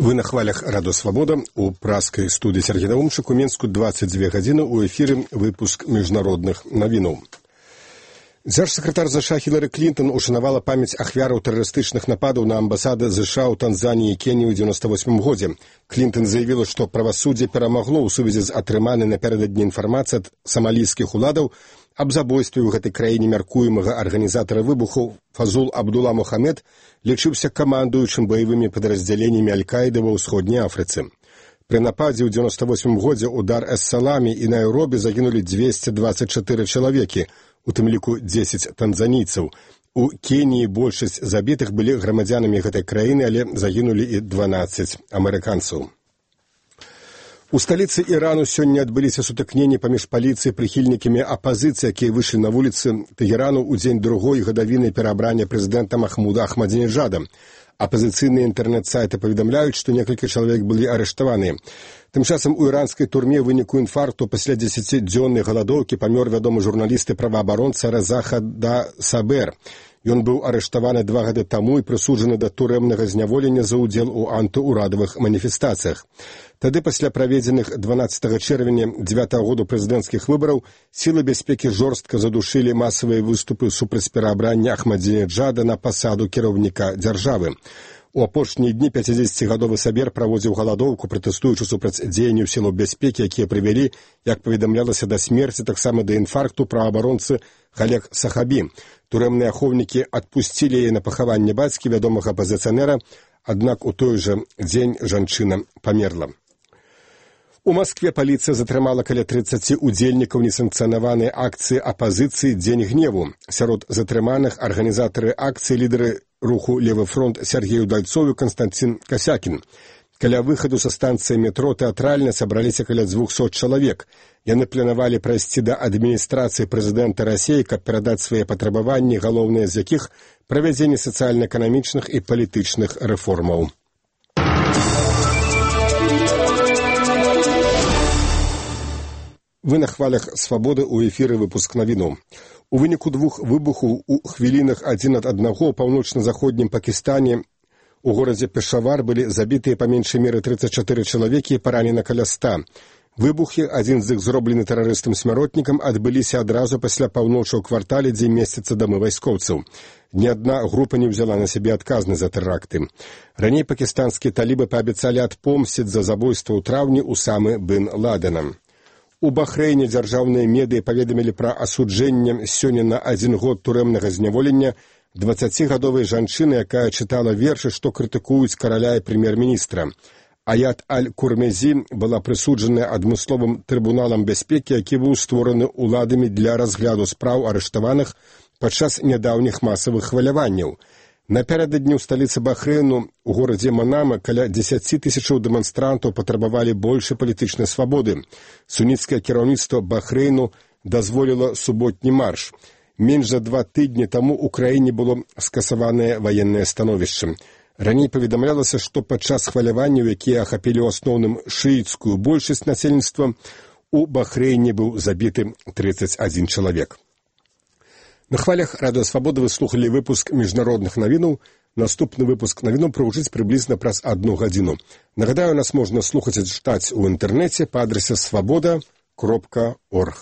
Вы на хвалях Радио Свобода. У праскай студии Сергей Наумчик. У Менску 22 гадзіны. У эфире выпуск международных новинов. Дзяржсакратар США Хілары Клінтон ушанавала памяць ахвяраў тэрарыстычных нападаў на амбасады США ў Танзаніі і Кеніі ў 98 годзе. Клінтон заявіла, што правасуддзе перамагло ў сувязі з атрыманай напярэдадні інфармацыі ад самалійскіх уладаў аб забойстве ў гэтай краіне мяркуемага арганізатара выбухаў Фазул Абдула Мухаммед лічыўся камандуючым баявымі падраздзяленнямі Аль-Каіды ва ўсходняй Афрыцы. Пры нападзе ў 98 годзе ў Дар-эс-Саламе і Найробі загінулі 224 чалавекі, у тым ліку 10 танзанійцаў. У Кеніі большасць забітых былі грамадзянамі гэтай краіны, але загінулі і 12 амерыканцаў. У сталіцы Ірану сёння адбыліся сутыкненні паміж паліцыяй і прыхільнікамі апазіцыі, якія выйшлі на вуліцы Тэгерану ў дзень другой гадавіны пераабрання прэзідэнта Махмуда Ахмадзінеджада. Апазіцыйныя інтэрнэт-сайты паведамляюць, што некалькі чалавек былі арыштаваныя. Тым часам у іранскай турме ў выніку інфаркту пасля 10-дзённай галадоўкі памёр вядомы журналіст і праваабаронца Реза Хадда Сабер. Ён быў арыштаваны 2 гады таму і прысуджаны да турэмнага зняволення за ўдзел у антыурадавых маніфестацыях. Тады, пасля праведзеных 12 чэрвеня 9 году прэзідэнцкіх выбараў, сілы бяспекі жорстка задушылі масавыя выступы супраць пераабрання Ахмадзінеджада на пасаду кіраўніка дзяржавы. У апошнія дні 50-гадовы Сабер праводзіў галадоўку, пратэстуючы супраць дзеянняў сілаў бяспекі, якія прывялі, як паведамлялася, да смерці, таксама да інфаркту праваабаронцы Халек Сахабі. Турэмныя ахоўнікі адпусцілі яе на пахаванне бацькі вядомага апазіцыянера, аднак у той жа дзень жанчына памерла. У Маскве паліцыя затрымала каля 30 удзельнікаў несанкцыянаванай акцыі апазіцыі «Дзень гневу». Сярод затрыманых арганізатары акцыі, лідары руху «Левы фронт» Сергею Дальцову і Константин Касякін. Каля выхаду са станцыі метро тэатральна сабраліся каля 200 чалавек. Яны планавалі прайсці да адміністрацыі прэзідэнта Расіі, каб перадаць свае патрабаванні, галоўныя з якіх правядзенне сацыяльна-эканамічных і палітычных рэформаў. Вы на хвалях Свабоды, у эфіры выпуск навіноў. У выніку 2 выбухаў у хвілінах адзін ад аднаго ў паўночна-заходнім Пакістане у горадзе Пешавар былі забітыя па меншай меры 34 чалавекі і паранена каля 100. Выбухі, адзін з іх зроблены тэрарыстам-смяротнікам, адбыліся адразу пасля паўночы ў квартале, дзе месцяцца дамы вайскоўцаў. Ні адна група не ўзяла на сябе адказнасць за тэракты. Раней пакістанскія талібы паабяцалі адпомсціць за забойства ў траўні Усамы бін Ладена. У Бахрэйне дзяржаўныя медыі паведамілі пра асуджэнне сёння на 1 год турэмнага зняволення 20-гадовай жанчыны, якая чытала вершы, што крытыкуюць караля і прэм'ер-міністра. Аят Аль-Курмезі была прысуджаная адмысловым трыбуналам бяспекі, які быў створаны ўладамі для разгляду спраў арыштаваных падчас нядаўніх масавых хваляванняў. Напярэдадні ў сталіцы Бахрэйну, у горадзе Манама, каля 10 тысячаў дэманстрантаў патрабавалі большай палітычнай свабоды. Суніцкае кіраўніцтва Бахрэйну дазволіла суботні марш. Менш за 2 тыдні таму ў краіне было скасаванае ваеннае становішча. Раней паведамлялася, што падчас хваляванняў, якія ахапілі ў асноўным шыіцкую большасць насельніцтва, у Бахрэйне быў забіты 31 чалавек. На хвалях Радио Свобода вы слухали выпуск международных новинов. Наступны выпуск новинов прагучыць прыблізна праз 1 гадзіну. Нагадаю, нас можна слухаць і чытаць у інтэрнэце па адрасе svoboda.org.